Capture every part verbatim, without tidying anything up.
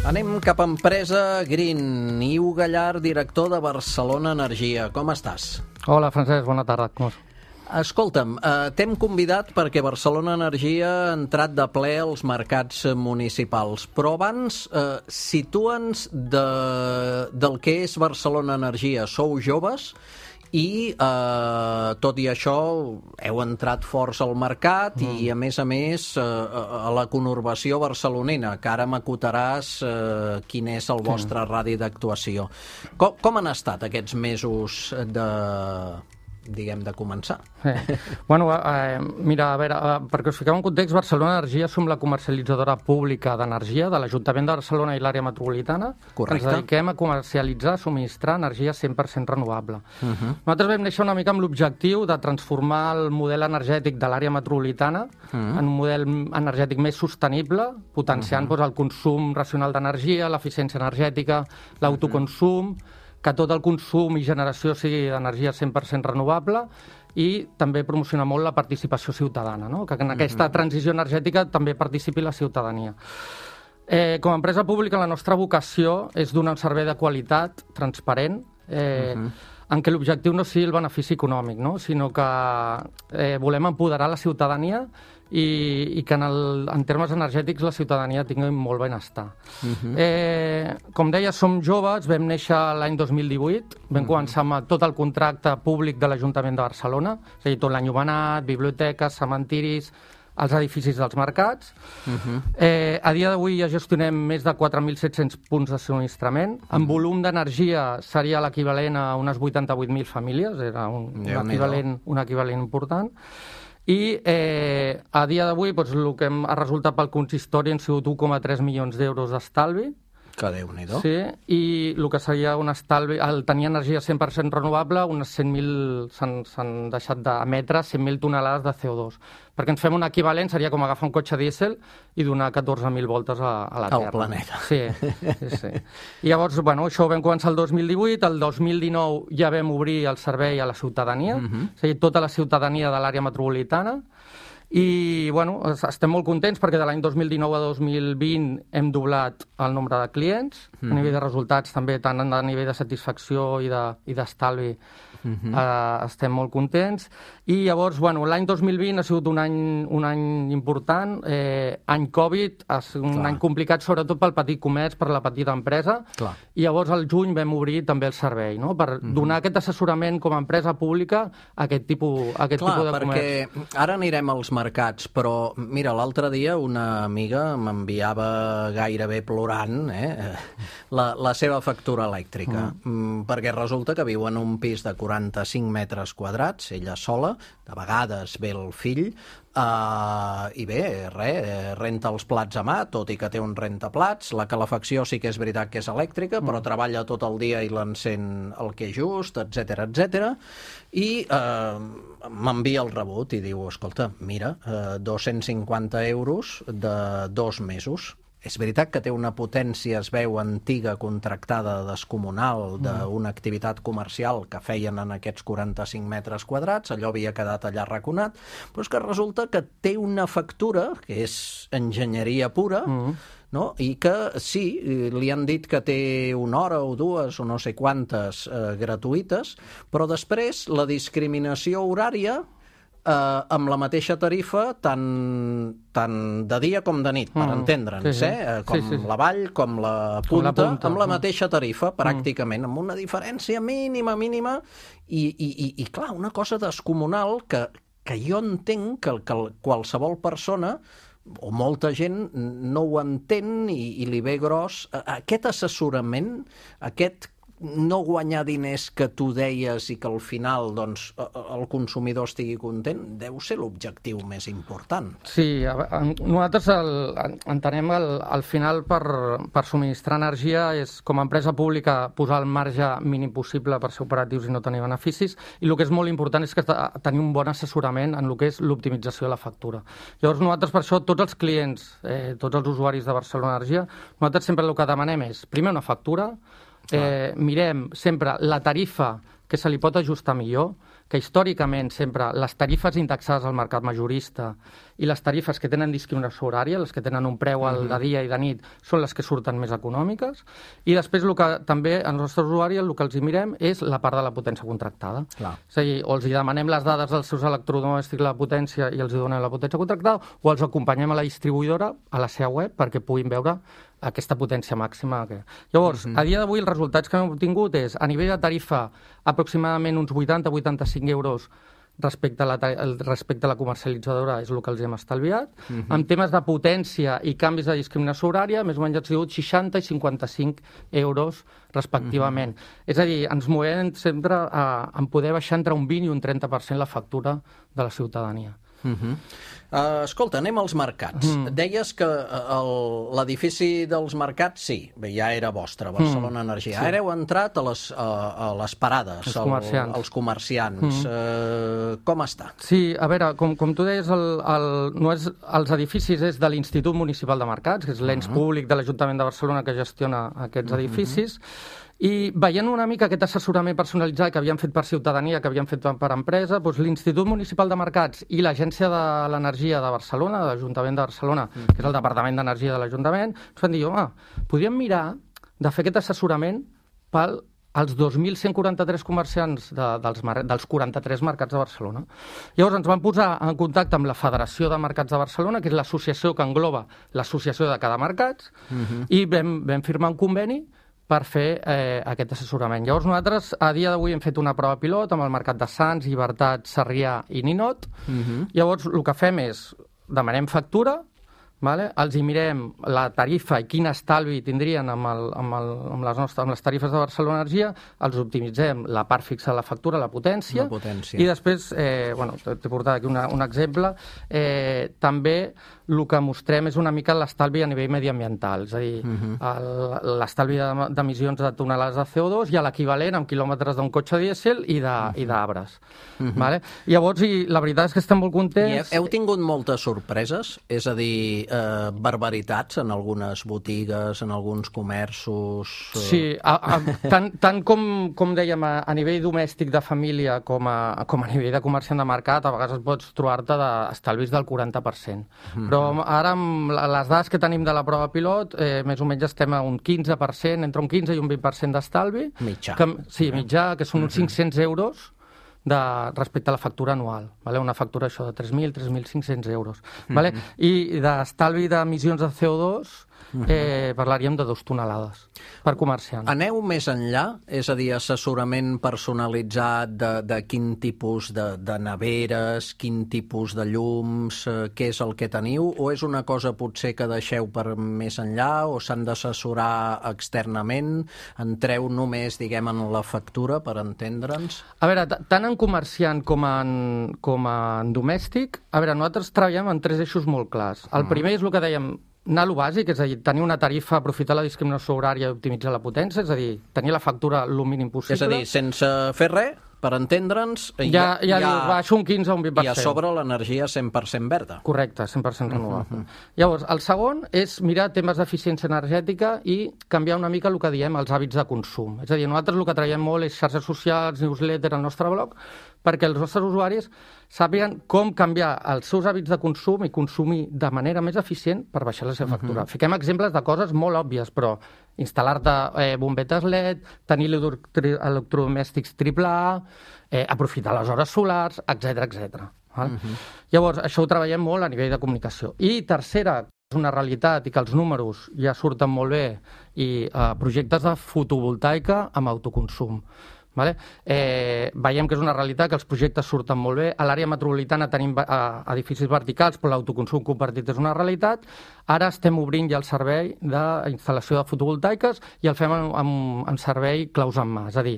Anem cap a Empresa Green. Iu Gallar, director de Barcelona Energia. Com estàs? Hola, Francesc, bona tarda. Com és? Escolta'm, eh, t'hem convidat perquè Barcelona Energia ha entrat de ple als mercats municipals, però abans eh, situa'ns de, del que és Barcelona Energia. Sou joves i, eh, tot i això, heu entrat forts al mercat mm. i, a més a més, eh, a la conurbació barcelonina, que ara m'acotaràs eh, quin és el vostre sí. radi d'actuació. Com, com han estat aquests mesos de... diguem, de començar. Sí. Bueno, eh, mira, a veure, eh, perquè us fiqueu en context, Barcelona Energia som la comercialitzadora pública d'energia de l'Ajuntament de Barcelona i l'àrea metropolitana. Correcte. Ens dediquem a comercialitzar, subministrar energia cent per cent renovable. Uh -huh. Nosaltres vam néixer una mica amb l'objectiu de transformar el model energètic de l'àrea metropolitana uh -huh. en un model energètic més sostenible, potenciant uh -huh. doncs, el consum racional d'energia, l'eficiència energètica, l'autoconsum, uh -huh. que tot el consum i generació sigui d'energia cent per cent renovable i també promocionar molt la participació ciutadana, no? Que en aquesta transició energètica també participi la ciutadania. Eh, com a empresa pública, la nostra vocació és donar un servei de qualitat, transparent, eh, uh -huh. en què l'objectiu no sigui el benefici econòmic, no? Sinó que eh, volem empoderar la ciutadania i, i que en, el, en termes energètics la ciutadania tingui molt benestar. Uh-huh. eh, com deia, som joves, vam néixer l'any dos mil divuit, vam uh-huh. començar amb tot el contracte públic de l'Ajuntament de Barcelona, és a dir, tot l'enllumenat, biblioteques, cementiris, els edificis dels mercats. Uh-huh. eh, a dia d'avui ja gestionem més de quatre mil set-cents punts de subministrament. Uh-huh. En volum d'energia seria l'equivalent a unes vuitanta-vuit mil famílies, era un, un, equivalent, un equivalent important. I eh, a dia d'avui doncs, el que hem, ha resultat pel consistori han sigut un coma tres milions d'euros d'estalvi. Que Déu-n'hi-do. Sí, i el que seria un estalvi, al tenir energia cent per cent renovable, unes cent mil s'han deixat d'emetre cent mil tonelades de C O dos. Perquè ens fem un equivalent, seria com agafar un cotxe dièsel i donar catorze mil voltes a, a la Terra. Al planeta. Sí, sí, sí. I llavors, bueno, això ho vam començar el dos mil divuit, el dos mil dinou ja vam obrir el servei a la ciutadania, uh-huh. és a dir, tota la ciutadania de l'àrea metropolitana. I, bueno, estem molt contents perquè de l'any dos mil dinou a dos mil vint hem doblat el nombre de clients, mm. a nivell de resultats també, tant a nivell de satisfacció i d'estalvi, de, mm-hmm. eh, estem molt contents. I llavors, bueno, l'any dos mil vint ha sigut un any, un any important, eh, any Covid, ha sigut un Clar. any complicat sobretot pel petit comerç, per la petita empresa, Clar. i llavors al juny vam obrir també el servei, no? per mm-hmm. donar aquest assessorament com a empresa pública a aquest tipus, a aquest Clar, tipus de comerç. Perquè ara anirem als mercats, però mira, l'altre dia una amiga m'enviava gairebé plorant eh, la, la seva factura elèctrica, mm. perquè resulta que viu en un pis de quaranta-cinc metres quadrats, ella sola, de vegades ve el fill, Uh, i bé, res, renta els plats a mà, tot i que té un rentaplats, la calefacció sí que és veritat que és elèctrica, però mm. treballa tot el dia i l'encén el que és just, etcètera, etcètera, i uh, m'envia el rebut i diu, escolta, mira, uh, dos-cents cinquanta euros de dos mesos. És veritat que té una potència, es veu, antiga, contractada, descomunal, d'una activitat comercial que feien en aquests quaranta-cinc metres quadrats, allò havia quedat allà arraconat, però és que resulta que té una factura, que és enginyeria pura, mm. no? I que sí, li han dit que té una hora o dues o no sé quantes eh, gratuïtes, però després la discriminació horària Uh, amb la mateixa tarifa tant, tant de dia com de nit, per mm, entendre'ns, sí, sí. eh? com sí, sí. la vall, com la punta, com la punta amb la mateixa tarifa, pràcticament, mm. amb una diferència mínima, mínima, i, i, i, i clar, una cosa descomunal que, que jo entenc que, que qualsevol persona o molta gent no ho entén i, i li ve gros. Aquest assessorament, aquest no guanyar diners que tu deies i que al final doncs, el consumidor estigui content, deu ser l'objectiu més important. Sí, nosaltres el, entenem el, al final per, per subministrar energia és, com a empresa pública, posar el marge mínim possible per ser operatius i no tenir beneficis, i el que és molt important és que tenir un bon assessorament en el que és l'optimització de la factura. Llavors nosaltres per això, tots els clients, eh, tots els usuaris de Barcelona Energia, nosaltres sempre el que demanem és, primer una factura, Eh, mirem sempre la tarifa que se li pot ajustar millor, que històricament sempre les tarifes indexades al mercat majorista i les tarifes que tenen discriminació horària, les que tenen un preu al de dia i de nit, són les que surten més econòmiques. I després el que també als nostres usuaris el que els hi mirem és la part de la potència contractada. Clar. És a dir, o els hi demanem les dades dels seus electrodomèstics, la potència, i els hi donem la potència contractada, o els acompanyem a la distribuïdora, a la seva web, perquè puguin veure aquesta potència màxima. Llavors, uh -huh. a dia d'avui els resultats que hem obtingut és, a nivell de tarifa, aproximadament uns vuitanta a vuitanta-cinc euros respecte a, la, respecte a la comercialitzadora és el que els hem estalviat. Uh-huh. En temes de potència i canvis de discriminació horària, més o menys han sigut seixanta i cinquanta-cinc euros respectivament. Uh-huh. És a dir, ens movem sempre a, a poder baixar entre un vint i un trenta per cent la factura de la ciutadania. Uh-huh. Uh, escolta, anem als mercats. Mm. Deies que l'edifici dels mercats, sí, ja era vostre, Barcelona mm. Energia. Sí. Ara heu entrat a les, a, a les parades, els comerciants. Al, als comerciants. Mm. Uh, com està? Sí, a veure, com, com tu deies, el, el, no és, els edificis és de l'Institut Municipal de Mercats, que és l'ens mm. públic de l'Ajuntament de Barcelona que gestiona aquests mm-hmm. edificis. I veient una mica aquest assessorament personalitzat que havien fet per ciutadania, que havien fet per empresa, doncs l'Institut Municipal de Mercats i l'Agència de l'Energia de Barcelona, de l'Ajuntament de Barcelona, mm. que és el Departament d'Energia de l'Ajuntament, ens van dir, home, podríem mirar de fer aquest assessorament pel als dos mil cent quaranta-tres comerciants de, dels, dels quaranta-tres mercats de Barcelona. Llavors ens van posar en contacte amb la Federació de Mercats de Barcelona, que és l'associació que engloba l'associació de cada mercat, mm-hmm. i vam, vam firmar un conveni per fer eh, aquest assessorament. Llavors nosaltres a dia d'avui hem fet una prova pilot amb el mercat de Sants, Llibertat, Sarrià i Ninot. Uh-huh. Llavors el que fem és demanem factura, vale? Els hi mirem la tarifa i quin estalvi tindrien amb, el, amb, el, amb, les, nostres, amb les tarifes de Barcelona Energia, els optimitzem la part fixa de la factura, la potència, la potència. I després, eh, bueno, t'he portat aquí una, un exemple, eh, també el que mostrem és una mica l'estalvi a nivell mediambiental, és a dir, uh-huh. l'estalvi d'emissions de tonelades de C O dos i l'equivalent en quilòmetres d'un cotxe dièsel i d'arbres. Uh-huh. Vale? Llavors, i la veritat és que estem molt contents. I heu tingut moltes sorpreses? És a dir, eh, barbaritats en algunes botigues, en alguns comerços... Eh... Sí, a, a, tant, tant com, com dèiem, a, a nivell domèstic de família com a, com a nivell de comerciant de mercat, a vegades pots trobar-te d'estalvis del quaranta per cent. Uh-huh. Però ara, amb les dades que tenim de la prova pilot, eh, més o menys estem a un quinze per cent, entre un quinze i un vint per cent d'estalvi. Mitjà. Que, sí, mitjà, que són uns cinc-cents euros de, respecte a la factura anual. Vale? Una factura això de tres mil, tres mil cinc-cents euros. Vale? Mm-hmm. I d'estalvi d'emissions de C O dos eh, parlaríem de dues tonelades per comerciant. Aneu més enllà? És a dir, assessorament personalitzat de, de quin tipus de, de neveres, quin tipus de llums, eh, què és el que teniu? O és una cosa potser que deixeu per més enllà o s'han d'assessorar externament? Entreu només, diguem, en la factura per entendre'ns? A veure, tant en comerciant com en, com en domèstic, a veure, nosaltres treballem en tres eixos molt clars. El primer és el que dèiem, anar a lo bàsic, és a dir, tenir una tarifa, aprofitar la discriminació horària i optimitzar la potència, és a dir, tenir la factura el mínim possible. És a dir, sense fer res, per entendre'ns... Ja, ja, ja dius, baixo un quinze o un vint per cent. I a sobre l'energia cent per cent verda. Correcte, cent per cent renovable. Uh-huh. Llavors, el segon és mirar temes d'eficiència energètica i canviar una mica el que diem els hàbits de consum. És a dir, nosaltres el que traiem molt és xarxes socials, newsletter, al nostre blog, perquè els nostres usuaris sàpiguen com canviar els seus hàbits de consum i consumir de manera més eficient per baixar la seva factura. Uh-huh. Fiquem exemples de coses molt òbvies, però instal·lar-te eh, bombetes L E D, tenir electrodomèstics triple A, eh, aprofitar les hores solars, etcètera, etcètera. Uh-huh. Llavors, això ho treballem molt a nivell de comunicació. I tercera, és una realitat i que els números ja surten molt bé, i eh, projectes de fotovoltaica amb autoconsum. Vale? Eh, veiem que és una realitat, que els projectes surten molt bé. A l'àrea metropolitana tenim eh, edificis verticals, però l'autoconsum compartit és una realitat. Ara estem obrint ja el servei d'instal·lació de fotovoltaiques i el fem en, en, en servei claus en mà. És a dir,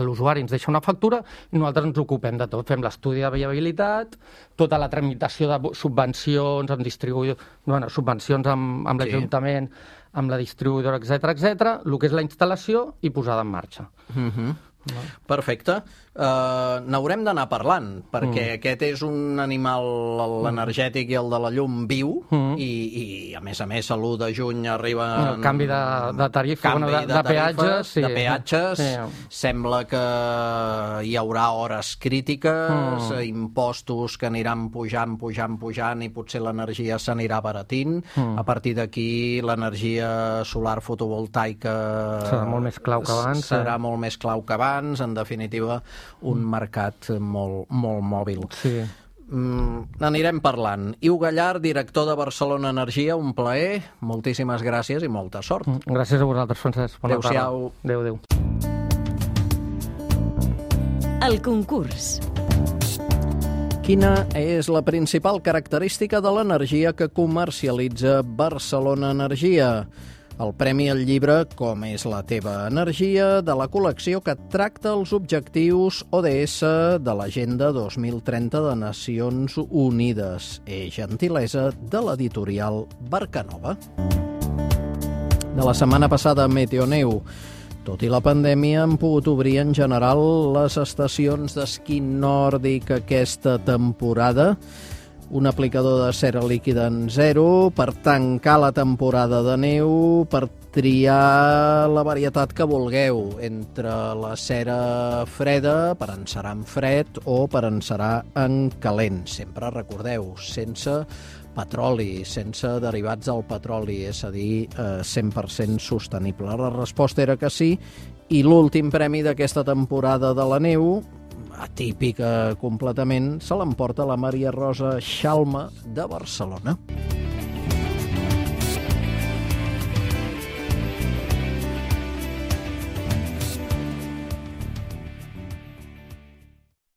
l'usuari ens deixa una factura i nosaltres ens ocupem de tot. Fem l'estudi de viabilitat, tota la tramitació de subvencions, amb distribuïdor, bueno, subvencions amb, amb l'Ajuntament, amb la distribuïdora, etcètera, etcètera, el que és la instal·lació i posada en marxa. Uh-huh. Perfecte. Uh, N'haurem d'anar parlant, perquè mm. aquest és un animal, l'energètic i el de la llum, viu, mm. i, i a més a més l'u de juny arriba... El canvi de, de tarifa, canvi bueno, de, de, de peatges. Sí. De peatges. Sí. Sembla que hi haurà hores crítiques, mm. impostos que aniran pujant, pujant, pujant, i potser l'energia s'anirà baratint. Mm. A partir d'aquí, l'energia solar fotovoltaica... Serà molt més clau que abans. Serà eh? molt més clau que abans, en definitiva, un mm. mercat molt, molt mòbil. Sí. Mm, anirem parlant. Iu Gallard, director de Barcelona Energia, un plaer, moltíssimes gràcies i molta sort. Mm. Gràcies a vosaltres, Francesc. Bona tarda. Adéu-siau. Adéu, adéu. El concurs. Quina és la principal característica de l'energia que comercialitza Barcelona Energia? El premi al llibre Com és la teva energia, de la col·lecció que tracta els objectius O D S de l'Agenda dos mil trenta de Nacions Unides. És gentilesa de l'editorial Barcanova. De la setmana passada, Meteoneu. Tot i la pandèmia, han pogut obrir en general les estacions d'esquí nòrdic aquesta temporada. Un aplicador de cera líquida en zero per tancar la temporada de neu, per triar la varietat que vulgueu, entre la cera freda, per encerar en fred, o per encerar en calent. Sempre recordeu, sense petroli, sense derivats del petroli, és a dir, cent per cent sostenible. La resposta era que sí, i l'últim premi d'aquesta temporada de la neu, atípica completament, se l'emporta la Maria Rosa Xalma de Barcelona.